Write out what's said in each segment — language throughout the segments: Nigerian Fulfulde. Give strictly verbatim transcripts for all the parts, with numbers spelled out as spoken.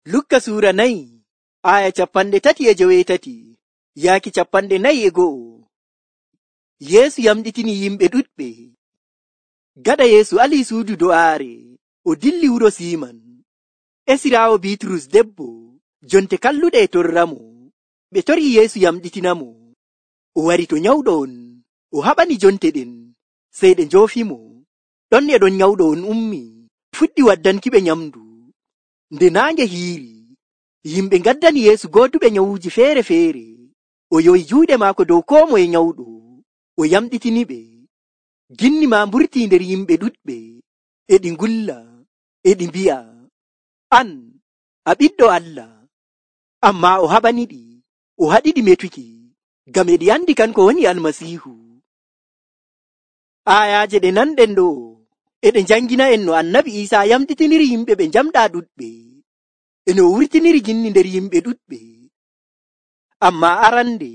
Lukka suura nayi aya capanɗe tati e joweetati yaaki capanɗe nayi e go'o. Yeesu yamɗitini yimɓe ɗuɗɓe. Gaɗa Yeesu alii suudu do'aare, o dilli wuro Siiman. Esiraawo Biiturus debbo, jonte kalluɗe e torramo. Ɓe torii Yeesu yamɗitinamo. O wari to nyawɗo on, o haɓani jonte ɗen, sey ɗe njoofimo. Ɗon e ɗon nyawɗo on ummi, fuɗɗi waddankiɓe nyamdu. Nde naange hiiri, yimɓe ngaddani Yeesu gooduɓe nyawuuji feere-feere. O yowi juuɗe maako dow koo moye nyawɗo, o yamɗitiniɓe. Ginni maa mburtii nder yimɓe ɗuɗɓe, e ɗi ngulla, e ɗi mbi'a, an a ɓiɗɗo Allah. Ammaa o haɓaniɗi, o haɗiɗi metuki, ngam e ɗi andi kanko woni Almasiihu. Aayaaje ɗe nanɗen ɗo e ɗe njangina en no Annabi Iisaa yamɗitiniri yimɓe ɓe njamɗaa ɗuɗɓe, e no o wurtiniri ginni nder yimɓe ɗuɗɓe. Ammaa arande,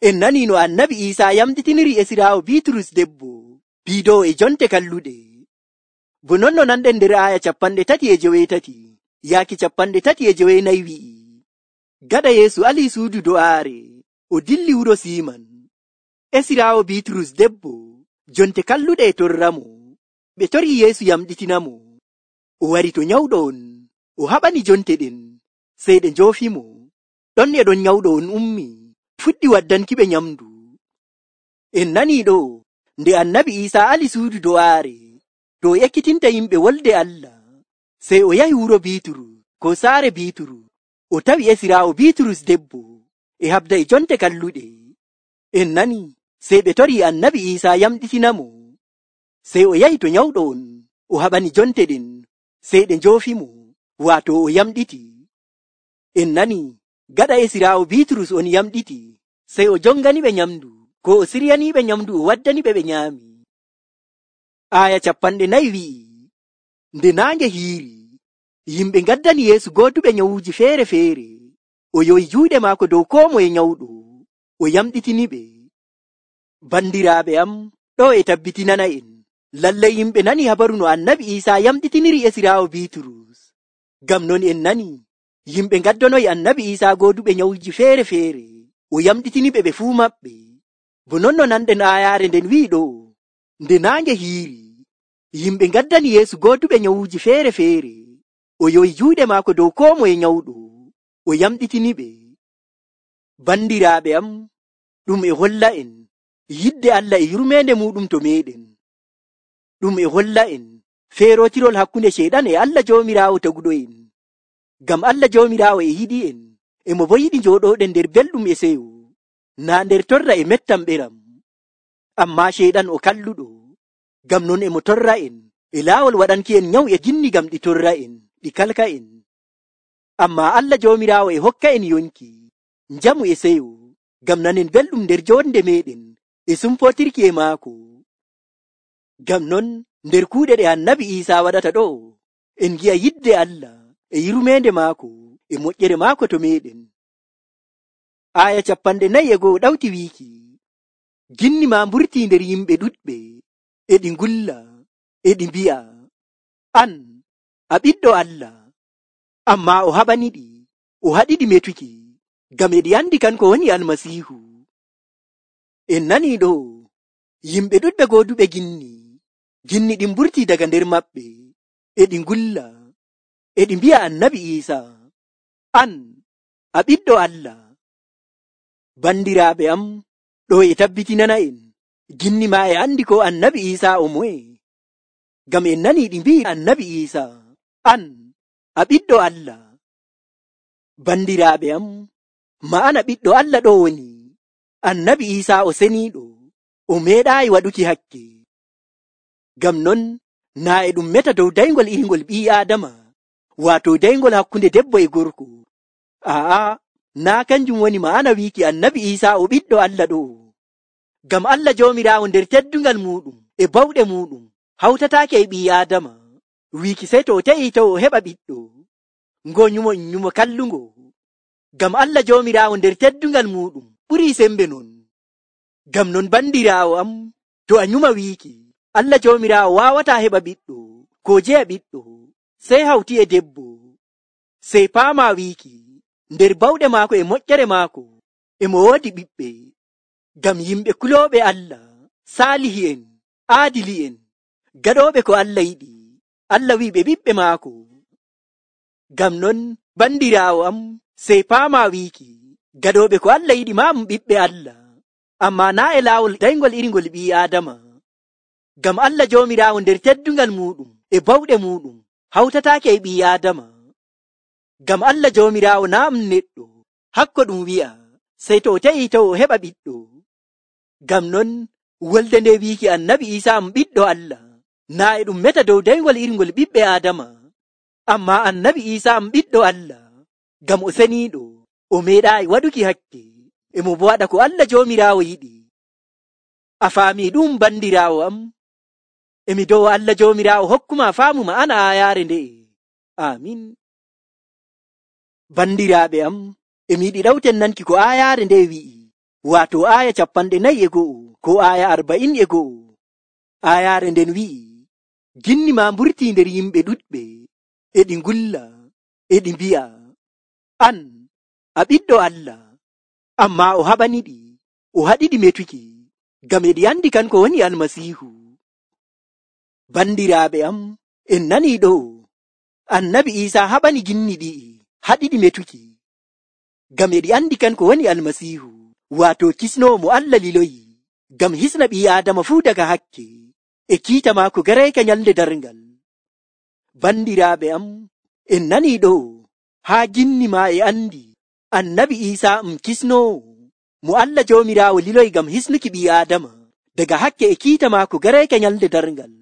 en nanii no Annabi Iisaa yamɗitiniri Esiraawo Biiturus debbo, biidowo e jonte kalluɗe. Bo non no nanɗen nder aaya capanɗe tati e joweetati yaaki capanɗe tati e joweenayi wi'i, gaɗa Yeesu alii suudu do'aare, o dilli wuro Siiman. Esiraawo Biiturus debbo, jonte kalluɗe e torramo. Ɓe torii Yeesu yamɗitinamo. O wari to nyawɗo on, o haɓani jonte ɗen, sey ɗe njoofimo. Ɗon e ɗon nyawɗo on ummi, fuɗɗi waddankiɓe nyamdu. En nanii ɗo, nde Annabi Iisaa ali suudu do'aare, to o ekkitinta yimɓe wolde Allah, sey o yahi wuro Biiturus, ko saare Biiturus, o tawi Esiraawo Biiturus debbo, e habda e jonte kalluɗe. En nanii, sey ɓe torii Annabi Iisaa yamɗitinamo. Sey o yahi to nyawɗo on, o haɓani jonte ɗen, sey ɗe njoofimo, waato o yamɗiti. En nanii, gaɗa Esiraawo Biiturus on yamɗiti, sey o jonganiɓe nyamdu, ko o siryaniiɓe nyamdu o waddaniɓe ɓe nyaami. Aaya capanɗe nayi wi'i, nde naange hiiri, yimɓe ngaddani Yeesu gooduɓe nyawuuji feere-feere. O yowi juuɗe maako dow koo moye nyawɗo, o yamɗitiniɓe. Bandiraaɓe am, ɗo e tabbitinana en, lallay yimɓe nani habaru no Annabi Iisaa yamɗitiniri Esiraawo Biiturus. Ngam non en nani, yimɓe ngaddonoyi Annabi Iisaa gooduɓe nyawuuji feere-feere, o yamɗitiniɓe ɓe fuu maɓɓe. Bo non no nanɗen aayaare nden wi'i ɗo, nde naange hiiri, yimɓe ngaddani Yeesu gooduɓe nyawuuji feere-feere. O yowi juuɗe maako dow koo moye nyawɗo, o yamɗitiniɓe. Bandiraaɓe am, ɗum e holla en yidde Allah e yurmeende muɗum to meeɗen. Ɗum e holla en feerotirol hakkunde Ceyɗan e Allah Joomiraawo taguɗo en. Ngam Allah Joomiraawo e yiɗi en, e mo bo yiɗi njooɗooɗen nder belɗum e seyo, naa nder torra e mettam ɓeram. Ammaa Ceyɗan o kalluɗo, ngam non e mo torra en e laawol waɗanki en nyawu e ginni ngam ɗi torra en, ɗi kalka en. Ammaa Allah Joomiraawo e hokka en yonki, njamu e seyo, ngam nanen belɗum nder joonde meeɗen e sumpotirki e maako. Ngam non nder kuuɗe ɗe Annabi Iisaa waɗata ɗo, en ngi'a yidde Allah e yurmeende maako e moƴƴere maako to meeɗen. Aaya capanɗe nayi e go'o ɗawti wiiki, ginni maa mburtii nder yimɓe ɗuɗɓe, e ɗi ngulla, e ɗi mbi'a, an a ɓiɗɗo Allah. Ammaa o haɓaniɗi, o haɗiɗi metuki, ngam e ɗi andi kanko woni Almasiihu. En nanii ɗo, yimɓe ɗuɗɓe gooduɓe ginni, ginni ɗin mburtii daga nder maɓɓe, e ɗi ngulla, e ɗi mbi'a Annabi Iisaa, an a ɓiɗɗo Allah. Bandiraaɓe am, ɗo e tabbitinana en, ginni maa e andi ko Annabi Iisaa o moye. Ngam en nanii ɗi mbi'i Annabi Iisaa, an a ɓiɗɗo Allah. Bandiraaɓe am, ma'ana ɓiɗɗo Allah ɗo woni, Annabi Iisaa o seniiɗo, o meeɗaayi waɗuki hakke. Ngam non, naa e ɗum meta dow dayngol irngol ɓii Aadama, waato dayngol hakkunde debbo e gorko. Aa, naa kanjum woni ma'ana wiiki Annabi Iisaa o ɓiɗɗo Allah ɗo. Ngam Allah Joomiraawo nder teddungal muɗum e bawɗe muɗum hawtataake e ɓii Aadama, wiiki sey to o te'ii to o heɓa ɓiɗɗo, ngo nyumo nyumo kallungo. Ngam Allah Joomiraawo nder teddungal muɗum ɓurii sembe non. Ngam non bandiraawo am, to a nyuma wiiki, Allah Joomiraawo waawataa heɓa ɓiɗɗo, ko jeya ɓiɗɗo, sey hawti e debbo. sey paama wiiki nder bawɗe maako e moƴƴere maako e mo woodi ɓiɓɓe, ngam yimɓe kulooɓe Allah, saalihi'en, aadili'en, gaɗooɓe ko Allah yiɗi. Allah wi'i ɓe ɓiɓɓe maako. Ngam non bandiraawo am, sey paama wiiki gaɗooɓe ko Allah yiɗi maa ɗum ɓiɓɓe Allah, ammaa naa e laawol dayngol irngol ɓii Aadama. Ngam Allah Joomiraawo nder teddungal muuɗum e bawɗe muuɗum hawtataake e ɓii Aadama. Ngam Allah Joomiraawo naa ɗum neɗɗo, hakko ɗum wi'a sey to o te'ii to o heɓa ɓiɗɗo. Ngam non wolde nde wiiki Annabi Iisaa ɗum ɓiɗɗo Allah, naa e ɗum meta dow dayngol irngol ɓiɓɓe Aadama, ammaa Annabi Iisaa ɗum ɓiɗɗo Allah, ngam o seniiɗo, o meeɗaayi waɗuki hakke, e mo bo waɗa ko Allah Joomiraawo yiɗi. A faamii ɗum bandiraawo am? Emi dow Allah Joomiraawo hokkuma faamu ma'ana aayaare nde'e. Aamin. Bandiraaɓe am, emi yiɗi ɗawten nanki ko aayaare nde wi'i, waato aaya capanɗe nayi e go'o ko aaya arba'in e go'o. Aayaare nden wi'i, ginni ma mburtii nder yimɓe ɗuɗɓe, e ɗi ngulla, e ɗi mbi'a, an a ɓiɗɗo Allah, ammaa o haɓaniɗi, o haɗiɗi metuki, ngam e ɗi andi kanko woni Almasiihu. Bandiraaɓe am, en nanii ɗo, Annabi Iisaa haɓani ginni ɗi'i, haɗiɗi metuki, ngam e ɗi andi kanko woni Almasiihu, waato kisnoowo mo Allah liloyi, ngam hisna ɓii Aadama fuu daga hakke, e kiita maako garayka nyalde darngal. Bandiraaɓe am, en nanii ɗo, haa ginni ma e andi Annabi Iisaa um kisnoowo mo Allah Joomiraawo liloyi ngam hisnuki ɓii Aadama daga hakke e kiita maako garayka nyalde darngal.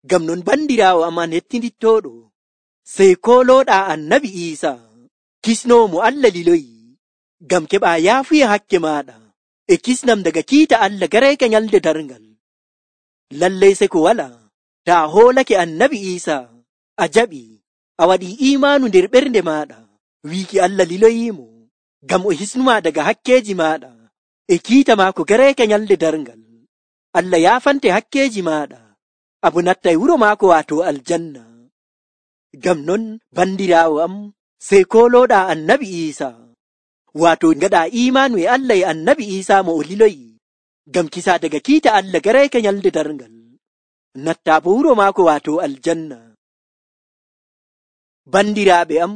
Ngam non bandiraawo am an hettindittooɗo, sey koolooɗaa Annabi Iisaa, kisnoowo mo Allah liloyi, ngam keɓaa yaafuya hakke maaɗa e kisnam daga kiita Allah garayka nyalde darngal. Lallay se ko walaa, taa hoolake Annabi Iisaa, a jaɓi, a waɗii iimaanu nder ɓernde maaɗa, wiiki Allah liloyiimo, ngam o hisnumaa daga hakkeeji maaɗa e kiita maako garayka nyalde darngal. Allah yaafante hakkeeji maaɗa, abo nattay wuro maako waato aljanna. Ngam non bandiraawo am, sey koolooɗaa Annabi Iisaa, waato ngaɗaa iimaanu e Allah e Annabi Iisaa mo o liloyi, ngam kisaa daga kiita Allah garayka nyalde darngal, nattaa bo wuro maako waato aljanna. Bandiraaɓe am,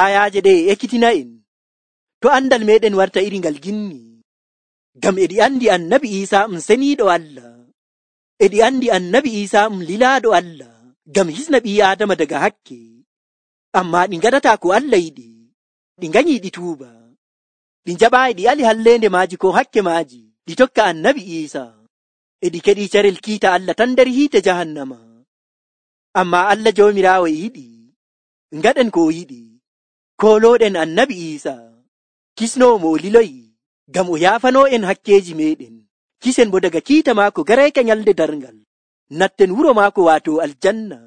aayaaje ɗe e ekkitina en, to andal meɗen warta iri ngal ginni, ngam e ɗi andi Annabi Iisaa um seniiɗo Allah, e ɗi andi Annabi Iisaa um lilaaɗo Allah, ngam hisna ɓii Aadama daga hakke, ammaa ɗi ngaɗataa ko Allah yiɗi, ɗi nganyii ɗi tuuba, ɗi njaɓaayi ɗi ali halleende maaji ko hakke maaji, ɗi tokka Annabi Iisaa, e ɗi keɗii carel kiita Allah tan nder hiite jahannama. Ammaa Allah Joomiraawo yiɗi, ngaɗen ko o yiɗi, koolooɗen Annabi Iisaa, kisnoowo mo o liloyi, ngam o yaafanoo en hakkeeji meɗen, kisen bo daga kiita maako garayka nyalde darngal, natten wuro maako waato aljanna,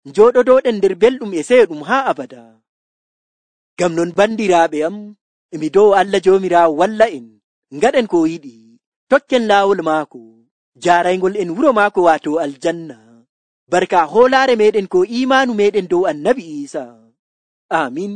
njooɗodooɗen nder belɗum e seyo ɗum haa abada. Ngam non bandiraaɓe am, emi dow Allah Joomiraawo walla en, ngaɗen ko o yiɗi, tokken laawol maako, jaaraygol en wuro maako waato aljanna, barka hoolaare meɗen ko iimaanu meɗen dow Annabi Iisaa. Amin.